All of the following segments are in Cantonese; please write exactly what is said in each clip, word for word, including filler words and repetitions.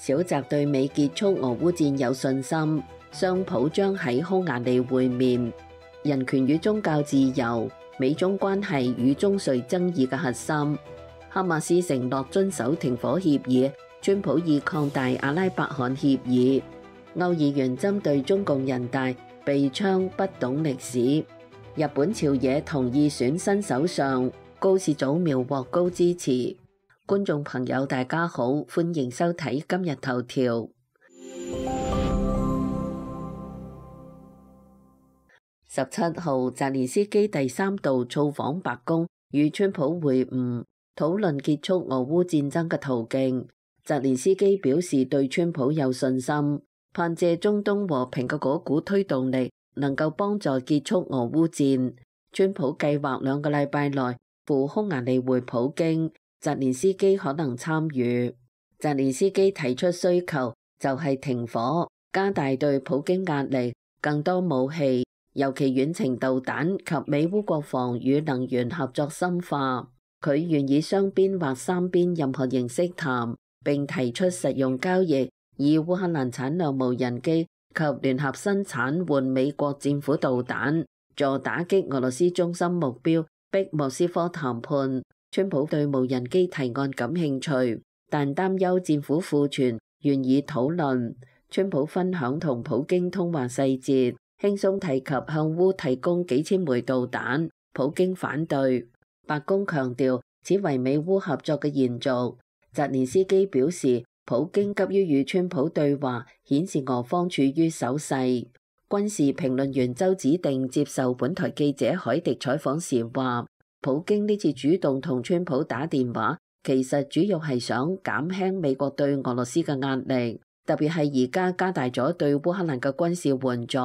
小澤對美結束俄烏戰有信心，雙普將喺匈牙利會面。人權與宗教自由，美中關係與中瑞爭議嘅核心。哈馬斯承諾遵守停火協議，川普已擴大阿拉伯罕協議。歐議員針對中共人大被槍不懂歷史。日本朝野同意選新首相，高市早苗獲高支持。觀眾朋友大家好，歡迎收睇今日頭條。十七號，澤連斯基第三度造訪白宮，與川普會晤，討論結束俄烏戰爭嘅途徑。澤連斯基表示對川普有信心，盼借中東和平嘅嗰股推動力，能夠幫助結束俄烏戰。川普計劃兩個禮拜內赴匈牙利會普京。澤連斯基可能參與。澤連斯基提出需求就係停火，加大對普京壓力，更多武器，尤其遠程導彈及美烏國防與能源合作深化。佢願意雙邊或三邊任何形式談，並提出實用交易，以烏克蘭產量無人機及聯合生產換美國戰斧導彈，助打擊俄羅斯中心目標，逼莫斯科談判。川普對無人機提案感興趣，但擔憂戰斧庫存，願意討論。川普分享同普京通話細節，輕鬆提及向烏提供幾千枚導彈，普京反對。白宮強調此為美烏合作嘅延續。澤連斯基表示，普京急於與川普對話，顯示俄方處於守勢。軍事評論員周子定接受本台記者海迪採訪時話，普京呢次主動同川普打電話，其實主要係想減輕美國對俄羅斯嘅壓力，特別係而家加大咗對烏克蘭嘅軍事援助。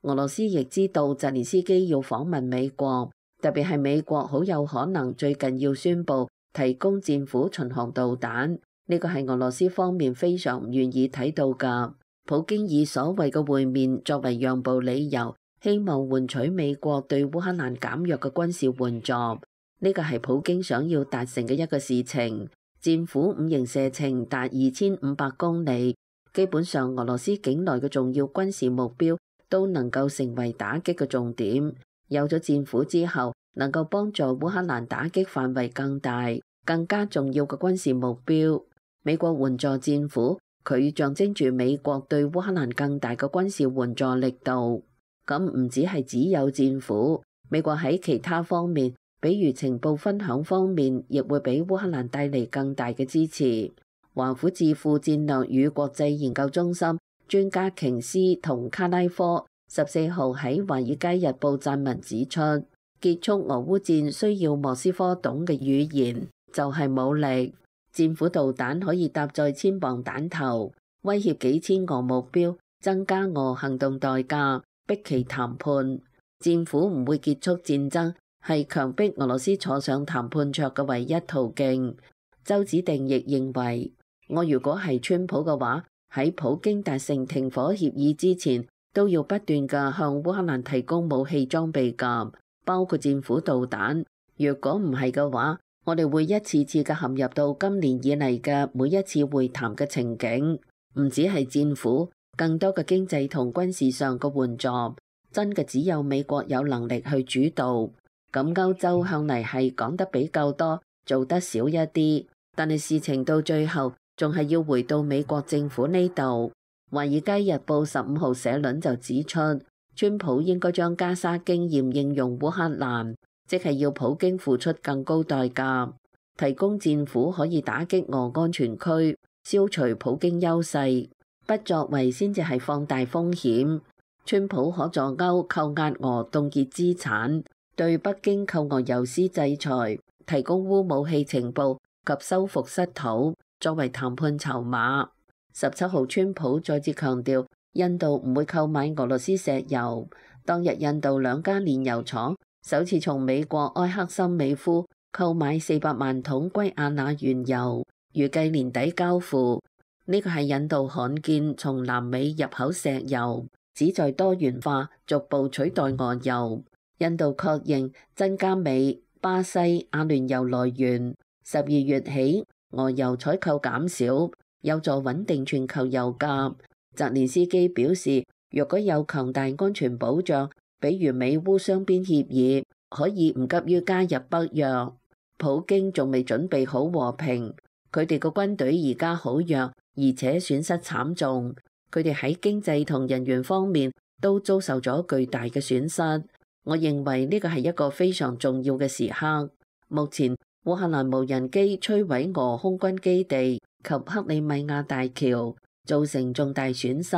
俄羅斯亦知道澤連斯基要訪問美國，特別係美國好有可能最近要宣布提供戰斧巡航導彈，呢個係俄羅斯方面非常唔願意睇到㗎。普京以所謂嘅會面作為讓步理由，希望換取美國對烏克蘭減弱嘅軍事援助，呢個係普京想要達成嘅一個事情。戰斧五型射程達二千五百公里，基本上俄羅斯境內嘅重要軍事目標都能夠成為打擊嘅重點。有咗戰斧之後，能夠幫助烏克蘭打擊範圍更大、更加重要嘅軍事目標。美國援助戰斧，佢象徵住美國對烏克蘭更大嘅軍事援助力度。咁唔止係只有戰斧，美國喺其他方面，比如情報分享方面，亦會俾烏克蘭帶嚟更大嘅支持。華府智庫戰略與國際研究中心專家瓊斯同卡拉科十四號喺《華爾街日報》撰文指出，結束俄烏戰需要莫斯科懂嘅語言，就係武力。戰斧導彈可以搭載千磅彈頭，威脅幾千俄目標，增加俄行動代價，逼其談判。戰斧唔會結束戰爭，係強迫俄羅斯坐上談判桌嘅唯一途徑。周子定亦認為，我如果係川普嘅話，喺普京達成停火協議之前，都要不斷嘅向烏克蘭提供武器裝備㗎，包括戰斧導彈。如果唔係嘅話，我哋會一次次嘅陷入到今年以嚟嘅每一次會談嘅情景，唔止係戰斧。更多嘅經濟同軍事上嘅援助，真嘅只有美國有能力去主導。咁歐洲向嚟係講得比較多，做得少一啲，但係事情到最後仲係要回到美國政府呢度。華爾街日報十五號社論就指出，川普應該將加沙經驗應用烏克蘭，即係要普京付出更高代價，提供戰斧可以打擊俄安全區，消除普京優勢。不作為先至係放大風險。川普可助歐扣押俄凍結資產，對北京扣俄尤斯制裁，提供烏武器情報及收復失土，作為談判籌碼。十七號，川普再次強調，印度唔會購買俄羅斯石油。當日印度兩家煉油廠首次從美國埃克森美孚購買四百萬桶圭亞那原油，預計年底交付。呢個係印度罕見從南美入口石油，旨在多元化，逐步取代俄油。印度確認增加美、巴西、阿聯酋來源。十二月起，俄油採購減少，有助穩定全球油價。澤連斯基表示，若果有強大安全保障，比如美烏雙邊協議，可以唔急於加入北約。普京仲未準備好和平，佢哋個軍隊而家好弱，而且損失慘重。佢哋喺經濟同人員方面都遭受咗巨大嘅損失。我認為呢個係一個非常重要嘅時刻。目前烏克蘭無人機摧毀俄空軍基地及克里米亞大橋，造成重大損失。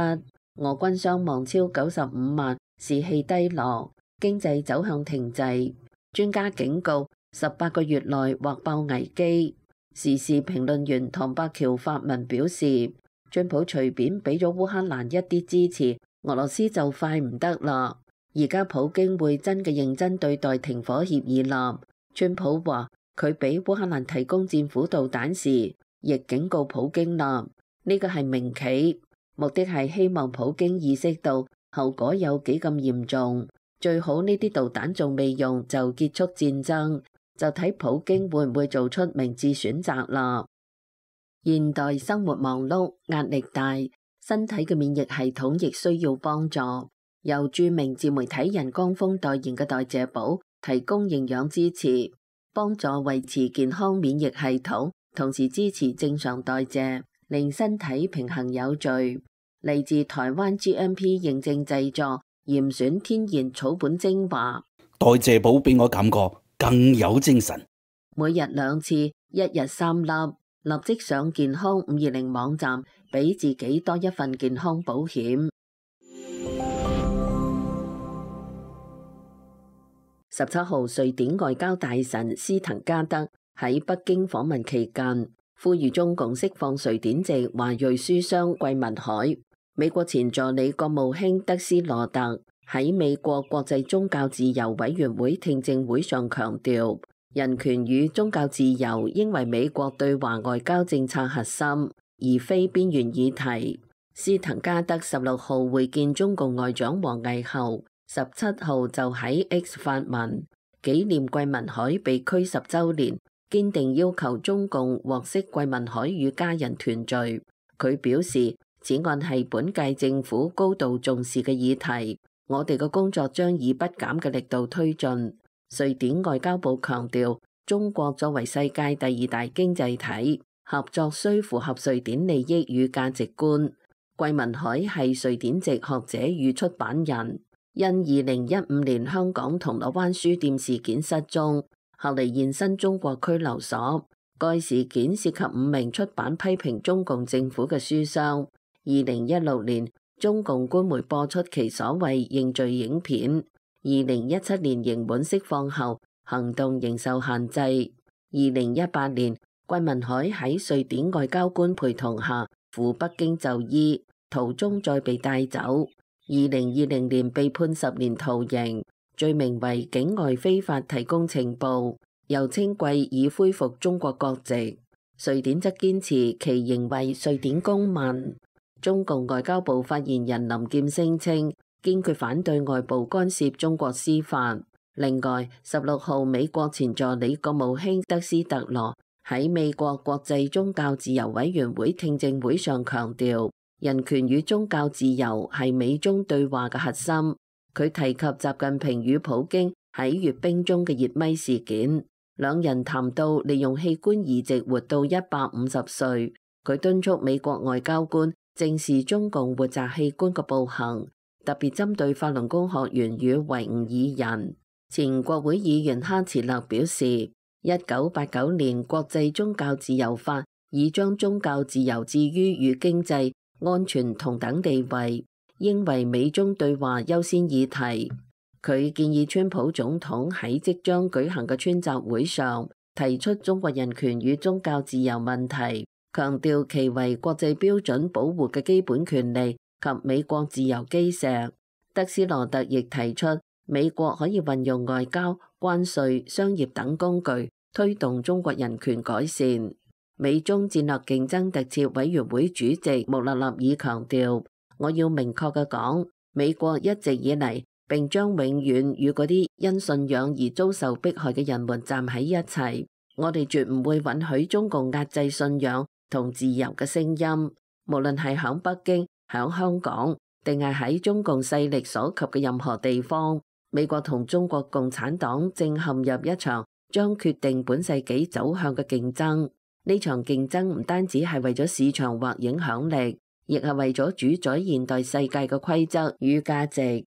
俄軍傷亡超九十五萬，士氣低落，經濟走向停滯。專家警告，十八個月內或爆危機。時事評論員唐伯橋發文表示，川普隨便俾咗烏克蘭一啲支持，俄羅斯就快唔得啦。而家普京會真嘅認真對待停火協議啦。川普話佢俾烏克蘭提供戰斧導彈時，亦警告普京啦。呢個係明棋，目的係希望普京意識到後果有幾咁嚴重。最好呢啲導彈仲未用就結束戰爭，就睇普京會唔會做出明智選擇啦。現代生活忙碌，壓力大，身體嘅免疫系統亦需要幫助。由著名自媒體人江峰代言嘅代謝寶提供營養支持，幫助維持健康免疫系統，同時支持正常代謝，令身體平衡有序。嚟自台灣 G M P 認證製作，嚴選天然草本精華。代謝寶俾我感覺更有精神。每日兩次，一日三粒，立即上健康五二零網站，俾自己多一份健康保險。十七號，瑞典外交大臣斯滕加德喺北京訪問期間，呼籲中共釋放瑞典籍華裔書商桂民海。美國前助理國務卿德斯羅特喺美國國際宗教自由委員會聽證會上強調，人權與宗教自由應為美國對華外交政策核心，而非邊緣議題。斯滕加德十六號會見中共外長王毅後，十七號就喺 X 發文紀念桂民海被拘十週年，堅定要求中共獲釋桂民海與家人團聚。佢表示，此案係本屆政府高度重視嘅議題，我哋嘅工作將以不減嘅力度推進。瑞典外交部強調，中國作為世界第二大經濟體，合作須符合瑞典利益與價值觀。桂民海係瑞典籍學者與出版人，因二零一五年香港銅鑼灣書店事件失蹤，後嚟現身中國拘留所。該事件涉及五名出版批評中共政府嘅書商。二零一六年，中共官媒播出其所謂認罪影片。二零一七年刑滿釋放後，行動仍受限制。二零一八年，桂民海喺瑞典外交官陪同下赴北京就醫，途中再被帶走。二零二零年被判十年徒刑，罪名為境外非法提供情報，又稱桂已恢復中國國籍。瑞典則堅持其仍為瑞典公民。中共外交部發言人林劍聲稱，堅決反對外部干涉中國司法。另外，十六號美國前助理國務卿德斯特羅喺美國國際宗教自由委員會聽證會上強調，人權與宗教自由係美中對話嘅核心。佢提及習近平與普京喺閱兵中嘅熱咪事件，兩人談到利用器官移植活到一百五十歲。佢敦促美國外交官正視中共活摘器官嘅暴行，特別針對法輪功學員與維吾爾人。前國會議員哈茨勒表示，一九八九年國際宗教自由法已將宗教自由置於與經濟、安全同等地位，應為美中對話優先議題。佢建議川普總統喺即將舉行嘅川習會上提出中國人權與宗教自由問題，強調其為國際標準保護嘅基本權利及美國自由基石。德斯羅特亦提出，美國可以運用外交、關稅、商業等工具推動中國人權改善。美中戰略競爭特設委員會主席穆勒納爾強調，我要明確嘅講，美國一直以嚟並將永遠與嗰啲因信仰而遭受迫害嘅人們站喺一齊。我哋絕唔會允許中共壓制信仰同自由嘅聲音。無論係響北京、響香港，定係喺中共勢力所及嘅任何地方，美國同中國共產黨正陷入一場將決定本世紀走向嘅競爭。呢場競爭唔單止係為咗市場或影響力，亦係為咗主宰現代世界嘅規則與價值。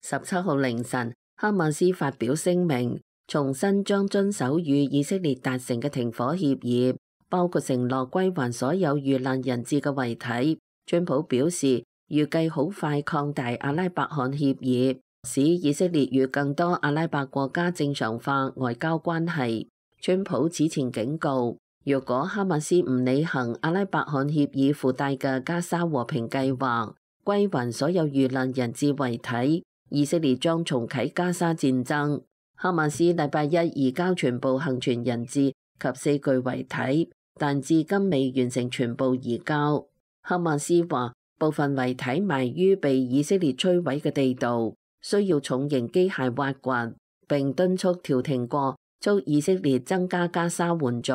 十七號凌晨，哈馬斯發表聲明，重申將遵守與以色列達成嘅停火協議，包括承諾歸還所有遇難人質嘅遺體。川普表示，預計好快擴大阿拉伯罕協議，使以色列與更多阿拉伯國家正常化外交關係。川普此前警告，若果哈馬斯唔履行阿拉伯罕協議附帶嘅加沙和平計劃，歸還所有遇難人質遺體，以色列將重啟加沙戰爭。哈馬斯禮拜一移交全部幸存人質及四具遺體，但至今未完成全部移交。哈馬斯話，部分遺體埋於被以色列摧毀嘅地道，需要重型機械挖掘，並敦促調停過，促以色列增加加沙援助，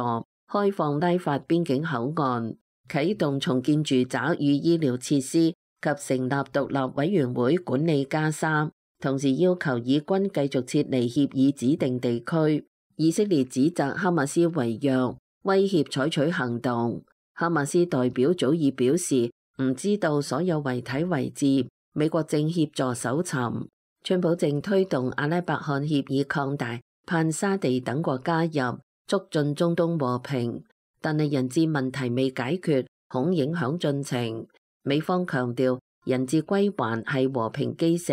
開放拉法邊境口岸，啟動重建住宅與醫療設施，及成立獨立委員會管理加沙，同時要求以軍繼續撤離協議指定地區。以色列指責哈馬斯違約，威脅採取行動。哈馬斯代表早已表示唔知道所有遺體位置，美國正協助搜尋。川普正推動阿拉伯罕協議擴大，盼沙地等國加入，促進中東和平。但係人質問題未解決，恐影響進程。美方強調人質歸還係和平基石。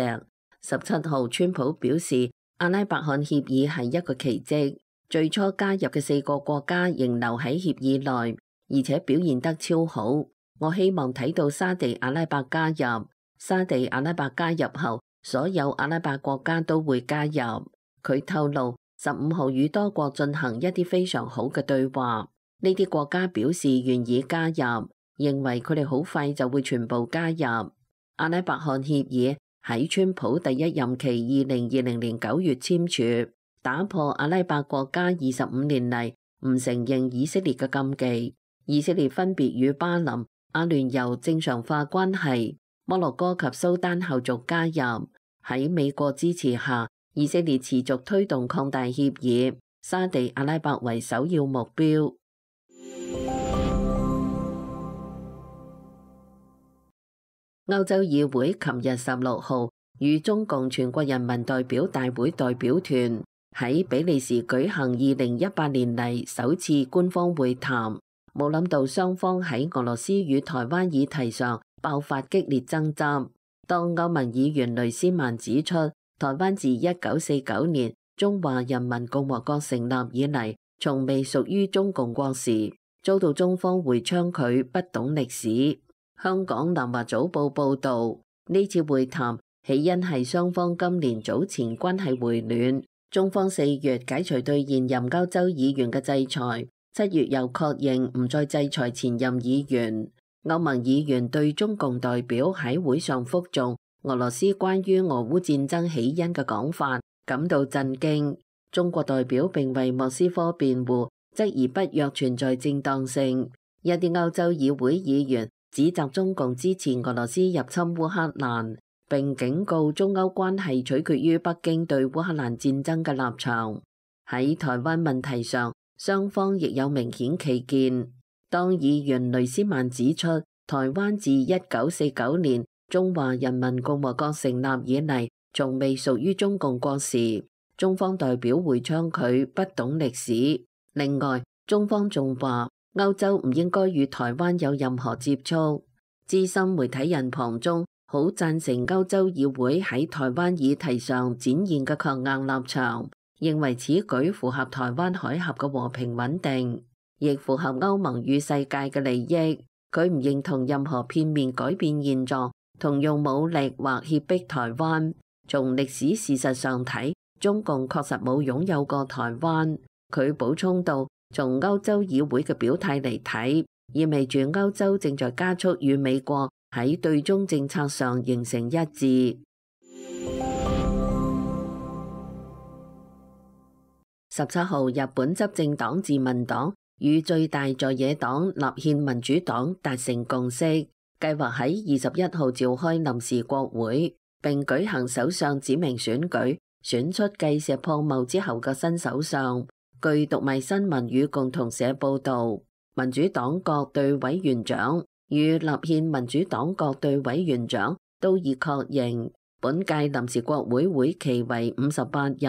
十七號，川普表示阿拉伯罕協議係一個奇蹟，最初加入嘅四個國家仍留喺協議內，而且表現得超好。我希望睇到沙地阿拉伯加入。沙地阿拉伯加入後，所有阿拉伯國家都會加入。佢透露，十五號與多國進行一啲非常好嘅對話，呢啲國家表示願意加入，認為佢哋好快就會全部加入。阿拉伯罕協議喺川普第一任期二零二零年九月簽署，打破阿拉伯國家二十五年嚟唔承認以色列嘅禁忌。以色列分別與巴林、阿聯酋正常化關係，摩洛哥及蘇丹後續加入。喺美國支持下，以色列持續推動擴大協議，沙地阿拉伯為首要目標。歐洲議會琴日十六號與中共全國人民代表大會代表團喺比利時舉行二零一八年嚟首次官方會談，冇諗到雙方喺俄羅斯與台灣議題上爆發激烈爭執。當歐盟議員雷斯曼指出，台灣自一九四九年中華人民共和國成立以嚟，從未屬於中共國時，遭到中方回嗆佢不懂歷史。香港南華早報報導，呢次會談起因係雙方今年早前關係回暖，中方四月解除對現任歐洲議員嘅制裁，七月又確認唔再制裁前任議員。歐盟議員對中共代表喺會上覆誦俄羅斯關於俄烏戰爭起因嘅講法感到震驚。中國代表並為莫斯科辯護，質疑北約存在正當性。一啲歐洲議會議員指責中共支持俄羅斯入侵烏克蘭，並警告中歐關係取決於北京對烏克蘭戰爭嘅立場。喺台灣問題上，雙方亦有明顯歧見。當議員雷斯曼指出，台灣自一九四九年中華人民共和國成立以嚟，從未屬於中共國時，中方代表回嗆佢不懂歷史。另外，中方仲話歐洲唔應該與台灣有任何接觸。資深媒體人龐中好贊成歐洲議會喺台灣議題上展現嘅強硬立場，認為此舉符合台灣海峽嘅和平穩定，亦符合歐盟與世界嘅利益。佢唔認同任何片面改變現狀同用武力或脅迫台灣。從歷史事實上睇，中共確實冇擁有過台灣。佢補充道，從歐洲議會嘅表態嚟睇，意味住歐洲正在加速與美國喺對中政策上形成一致。十七號，日本執政黨自民黨與最大在野黨立憲民主黨達成共識，計劃喺二十一號召開臨時國會，並舉行首相指名選舉，選出繼石破茂之後嘅新首相。據讀賣新聞與共同社報導，民主黨各隊委員長與立憲民主黨各隊委員長都已確認，本屆臨時國會會期為五十八日，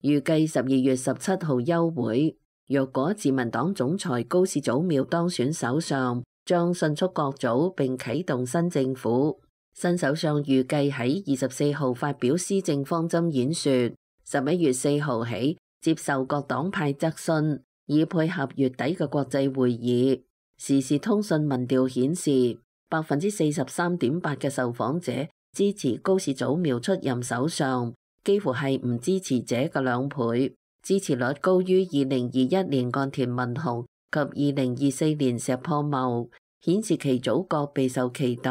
預計十二月十七號休會。若果自民黨總裁高市早苗當選首相，將迅速各組並啟動新政府。新首相預計喺二十四號發表施政方針演說，十一月四號起接受各黨派質詢，以配合月底嘅國際會議。時事通訊民調顯示，百分之四十三點八嘅受訪者支持高市早苗出任首相，幾乎係唔支持者嘅兩倍，支持率高於二零二一年岸田文雄及二零二四年石破茂，顯示其組閣備受期待。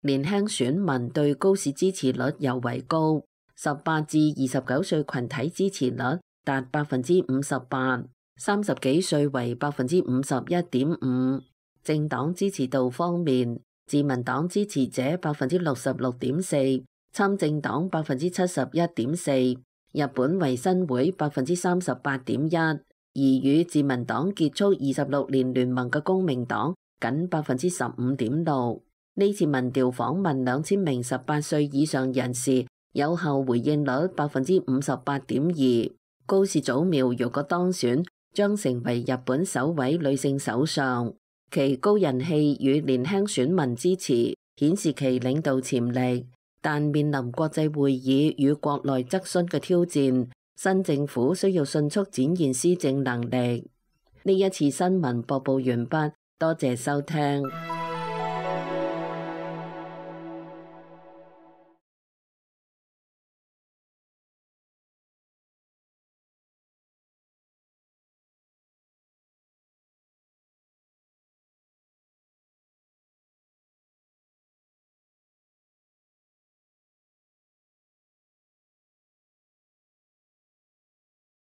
年輕選民對高市支持率尤為高，十八至二十九歲群體支持率達百分之五十八，三十幾歲為百分之五十一點五。政黨支持度方面，自民黨支持者百分之六十六點四，參政黨百分之七十一點四，日本維新會百分之三十八點一，而與自民黨結束二十六年聯盟嘅公明黨僅百分之十五點六。呢次民調訪問兩千名十八歲以上人士，有效回應率百分之五十八點二。高市早苗如果當選，將成為日本首位女性首相。其高人氣與年輕選民支持，顯示其領導潛力。但面臨國際會議與國內質詢嘅挑戰，新政府需要迅速展現施政能力。呢一次新聞播報完畢，多謝收聽。